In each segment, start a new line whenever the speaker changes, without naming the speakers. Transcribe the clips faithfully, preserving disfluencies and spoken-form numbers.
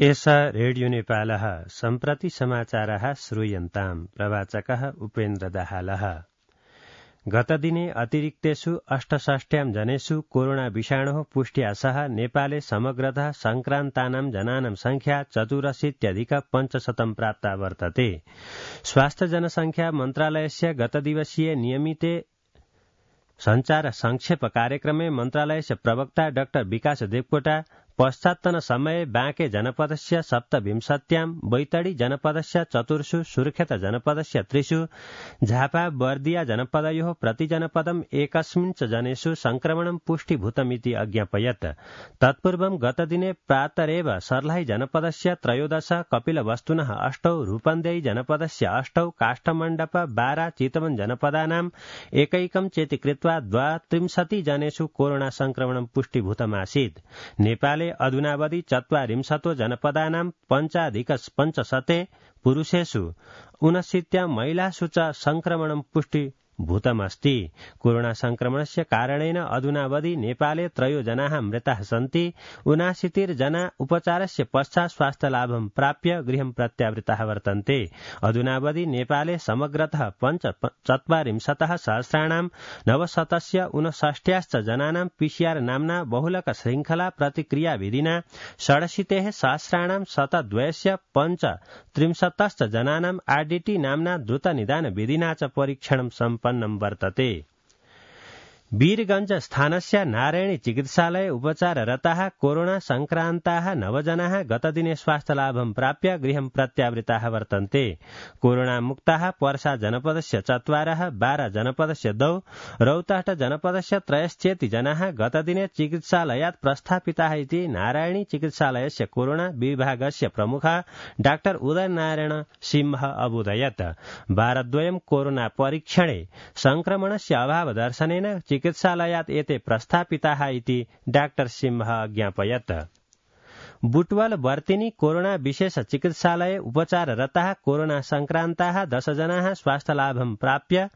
एषा रेडियो नेपालः सम्प्रति समाचारः श्रूयन्ताम्। प्रवाचकः उपेन्द्र दाहालः। गतदिने अतिरिक्तेषु अष्टषष्ट्यां जनेषु कोरोना विषाणोः पुष्ट्या सह नेपाले समग्रतः संक्रान्तानां जनानां संख्या चतुरशीत्यधिक पञ्चशतं प्राप्ता वर्तते। स्वास्थ्य जनसंख्या मन्त्रालयस्य गतदिवसीय नियमिते संचार संक्षेप कार्यक्रमे मन्त्रालयस्य प्रवक्ता डाक्टर विकास देवकोटा पश्चात्तन समये बाँके जनपदस्य सप्तविंशत्यां बैतडी जनपदस्य चतुर्षु सुर्खेत जनपदस्य त्रिषु झापा बर्दिया जनपदयोः प्रतिजनपदम् एकस्मिन् च जनेषु संक्रमणं पुष्टिभूतमिति अज्ञापयत्। तत्पूर्वं गतदिने प्रातरेव सर्लाही जनपदस्य त्रयोदश कपिलवस्तुनः अष्टौ रूपन्देही जनपदस्य अष्टौ काष्ठमण्डप बारा चितवन जनपदानाम् एकैकं चेति कृत्वा द्वात्रिंशति जनेषु कोरोना संक्रमणं पुष्टिभूतमासीत्। नेपाले अधुनावधि चत्वारिंशतो जनपदानां पञ्चाधिक पञ्चशते पुरुषेषु ऊनशीत्यां महिलासु च संक्रमणं पुष्टि भूतमस्ति। कोरोना संक्रमणस्य कारणेन अधुनावधि नेपाले त्रयो जनाः मृताः सन्ति। ऊनाशीतिर्जना उपचारस्य पश्चात् स्वास्थ्यलाभं प्राप्य गृहं प्रत्यावृताः वर्तन्ते। अधुनावधि नेपाले समग्रतः पञ्च चत्वारिंशतः सहस्राणां नवशतस्य ऊनषष्ट्याश्च जनानां पीसीआर नाम्ना बहुलक श्रृंखला प्रतिक्रियाविधिना षडशीतेः सहस्राणां शतद्वयस्य पञ्च त्रिंशतश्च जनानां आरडीटी नाम्ना द्रुतनिदान विधिना च परीक्षणं सम्पन्नं वर्तते। वीरगंज स्थानस्य नारायणी चिकित्सालये उपचाररताः कोरोना संक्रान्ताः नवजनाः गतदिने स्वास्थ्यलाभं प्राप्य गृहं प्रत्यावृताः वर्तन्ते। कोरोना मुक्ताः पर्सा जनपदस्य चत्वारः, बारा जनपदस्य द्वौ, रौतहट जनपदस्य त्रयश्चेति जनाः गतदिने चिकित्सालयात् प्रस्थापिताः इति नारायणी चिकित्सालयस्य कोरोना विभागस्य प्रमुखः डाक्टर उदयनारायण सिंह अबोधयत्। वारद्वयं कोरोना परीक्षणे संक्रमणस्य अभावदर्शनेन चिकित्सालयात् एते प्रस्थापिताः इति डाक्टर सिंह अज्ञापयत्। बुटवल वर्तिनी कोरोना विशेष चिकित्सालये उपचाररताः कोरोना संक्रान्ताः दश जनाः स्वास्थ्यलाभं प्राप्य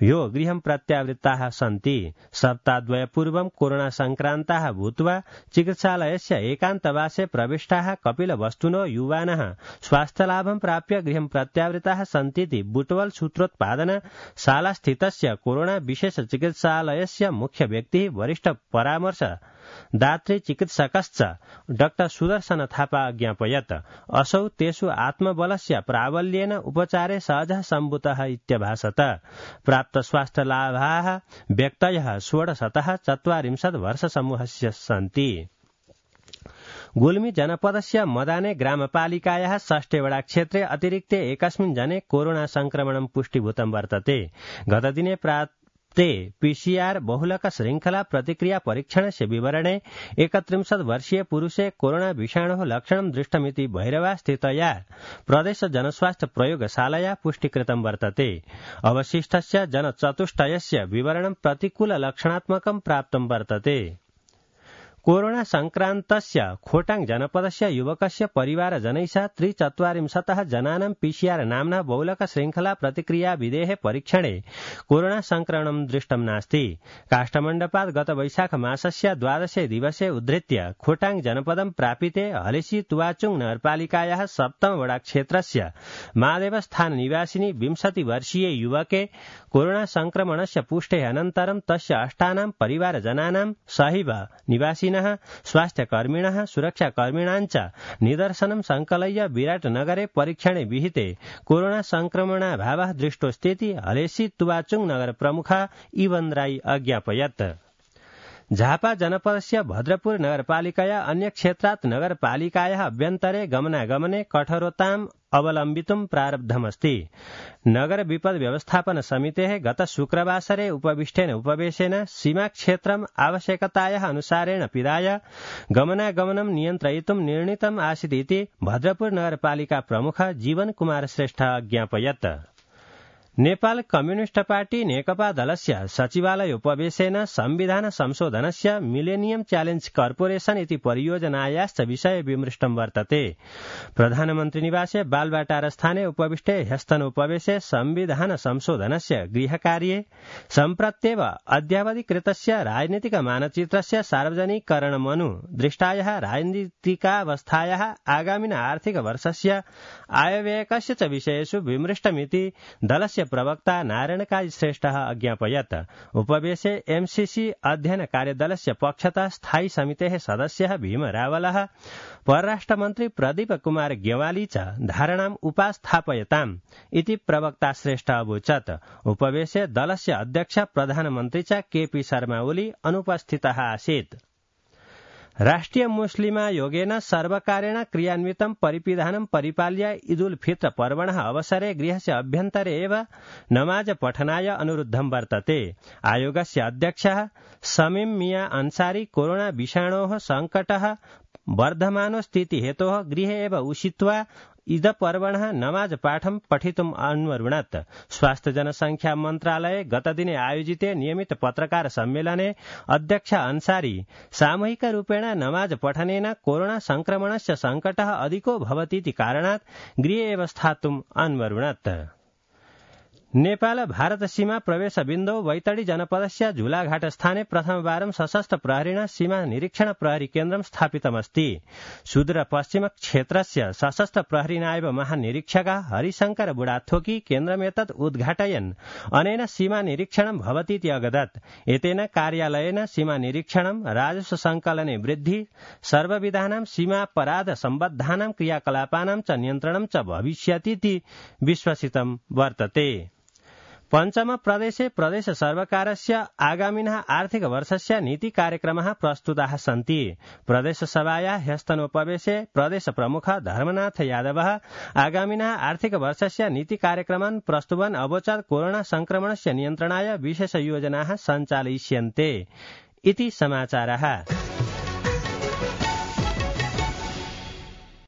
यो गृहं प्रत्यावृत्ताः सन्ति। सप्ताहद्वय पूर्वं कोरोना संक्रान्ताः भूत्वा चिकित्सालयस्य एकान्तवासे प्रविष्टाः कपिलवस्तुनो युवानः स्वास्थ्यलाभं प्राप्य गृहं प्रत्यावृताः सन्तीति बुटवल सूत्रोत्पादन शालास्थितस्य कोरोना विशेष चिकित्सालयस्य मुख्य व्यक्तिः वरिष्ठ परामर्श दात्री चिकित्सकश्च डाक्टर सुदर्शन थापा अज्ञापयत्। असौ तेषु आत्मबलस्य प्राबल्येन उपचारे सहजः सम्भूतः इत्यभासत। प्राप्त स्वास्थ्यलाभाः व्यक्तयः षोडशतः चत्वारिंशत् वर्षसमूहस्य सन्ति। गुल्मी जनपदस्य मदाने ग्रामपालिकायाः षष्ठेवडा क्षेत्रे अतिरिक्ते एकस्मिन् जने कोरोना संक्रमणं पुष्टिभूतं वर्तते। गतदिने प्राप्त ते पीसीआर बहुलक श्रृंखला प्रतिक्रिया परीक्षणस्य विवरणे एकत्रिंशत् वर्षीय पुरुषे कोरोना विषाणोः लक्षणं दृष्टमिति भैरवा स्थितया प्रदेश जनस्वास्थ्य प्रयोगशालया पुष्टिकृतं वर्तते। अवशिष्टस्य जनचतुष्टयस्य विवरणं प्रतिकूल लक्षणात्मकं प्राप्तं वर्तते। कोरोना संक्रान्तस्य खोटाङ जनपदस्य युवकस्य परिवारजनैः सह त्रिचत्वारिंशतः जनानां पीसीआर नाम्ना बहुलक श्रृंखला प्रतिक्रिया विधेः परीक्षणे कोरोना संक्रमणं दृष्टं नास्ति। काष्ठमण्डपात् गत वैशाख मासस्य द्वादशे दिवसे उद्धृत्य खोटाङ जनपदं प्रापिते हलेसी तुवाचुङ नगरपालिकायाः सप्तम वडा क्षेत्रस्य महादेवस्थान निवासिनी विंशति वर्षीय युवके कोरोना संक्रमणस्य पुष्टेः अनन्तरं तस्य अष्टानां परिवारजनानां सहिव निवासिनः स्वास्थ्यकर्मिणः सुरक्षाकर्मिणाञ्च निदर्शनं संकलय्य विराटनगरे परीक्षणे विहिते कोरोना संक्रमणाभावः दृष्टोऽस्तीति हलेसी तुवाचुङ नगर प्रमुखः इवन राई अज्ञापयत्। झापा जनपदस्य भद्रपुर नगरपालिकया अन्य क्षेत्रात् नगरपालिकायाः अभ्यन्तरे गमनागमने कठोरताम् अवलम्बितुं प्रारब्धमस्ति। नगर विपद व्यवस्थापन समितेः गत शुक्रवासरे उपविष्टेन उपवेशेन सीमाक्षेत्रम् आवश्यकतायाः अनुसारेण पिधाय गमनागमनं नियन्त्रयितुं निर्णीतम् आसीत् इति भद्रपुर नगरपालिका प्रमुख जीवन कुमार श्रेष्ठ अज्ञापयत्। नेपाल कम्युनिष्ट पार्टी नेकपा दलस्य सचिवालय उपवेशेन संविधान संशोधनस्य मिलेनियम च्यालेंज कर्पोरेशन इति परियोजनायाश्च विषये विमृष्टं वर्तते। प्रधानमन्त्री निवासे बालवाटारस्थाने उपविष्टे ह्यस्तन उपवेशे संविधान संशोधनस्य गृहकार्ये सम्प्रत्येव अद्यावधिकृतस्य राजनीतिक मानचित्रस्य सार्वजनिकरणमनु दृष्टायाः राजनीतिकावस्थायाः आगामिन आर्थिक वर्षस्य आयव्ययकस्य च विषयेषु विमृष्टमिति दलस्य प्रवक्ता नारायण काजी श्रेष्ठः अज्ञापयत्। उपवेशे एमसीसी अध्ययन कार्यदलस्य पक्षतः स्थायी समितेः सदस्यः भीम रावलः परराष्ट्रमन्त्री प्रदीप कुमार गेवाली च धारणाम् उपास्थापयताम् इति प्रवक्ता श्रेष्ठ अवोचत्। उपवेशे दलस्य अध्यक्ष प्रधानमन्त्री च केपी शर्मा ओली अनुपस्थितः आसीत्। राष्ट्रिय मुस्लिमा योगेन सर्वकारेण क्रियान्वितं परिपिधानं परिपाल्य ईदुल फित्र पर्वणः अवसरे गृहस्य अभ्यन्तरे एव नमाज पठनाय अनुरुद्धं वर्तते। आयोगस्य अध्यक्षः शमीम मिया अंसारी कोरोना विषाणोः संकटः वर्धमानो स्थिति हेतोः गृहे एव उषित्वा ईद पर्वणः नमाज पाठं पठितुम् अन्वरुणत्। स्वास्थ्य जनसंख्या मन्त्रालये गतदिने आयोजिते नियमित पत्रकार सम्मेलने अध्यक्ष अंसारी सामूहिक रूपेण नमाज पठनेन कोरोना संक्रमणस्य संकटः अधिको भवतीति कारणात् गृहे एव स्थातुम् अन्वरुणत्। नेपाल भारत सीमा प्रवेश बिन्दौ वैतडी जनपदस्य झुलाघाट स्थाने प्रथमवारं सशस्त्र प्रहरिण सीमा निरीक्षण प्रहरी केन्द्रं स्थापितमस्ति। सुदूर पश्चिम क्षेत्रस्य सशस्त्र प्रहरी नायब महानिरीक्षकः हरिशंकर बुढाथोकी केन्द्रमेतत् उद्घाटयन् अनेन सीमा निरीक्षणं भवतीति अगदत्। एतेन कार्यालयेन सीमा निरीक्षणं राजस्व संकलने वृद्धि सर्वविधानां सीमापराध सम्बद्धानां क्रियाकलापानां च नियन्त्रणं च भविष्यतीति विश्वसितं वर्तते। पञ्चम प्रदेशे प्रदेश सर्वकारस्य आगामिनः आर्थिक वर्षस्य नीति कार्यक्रमः प्रस्तुताः सन्ति। प्रदेश सभायाः ह्यस्तनोपवेशे प्रदेश प्रमुख धर्मनाथ यादवः आगामिनः आर्थिक वर्षस्य नीति कार्यक्रमान् प्रस्तुवन् अवोचत् कोरोना संक्रमणस्य नियन्त्रणाय विशेष योजनाः सञ्चालयिष्यन्ते इति समाचारः।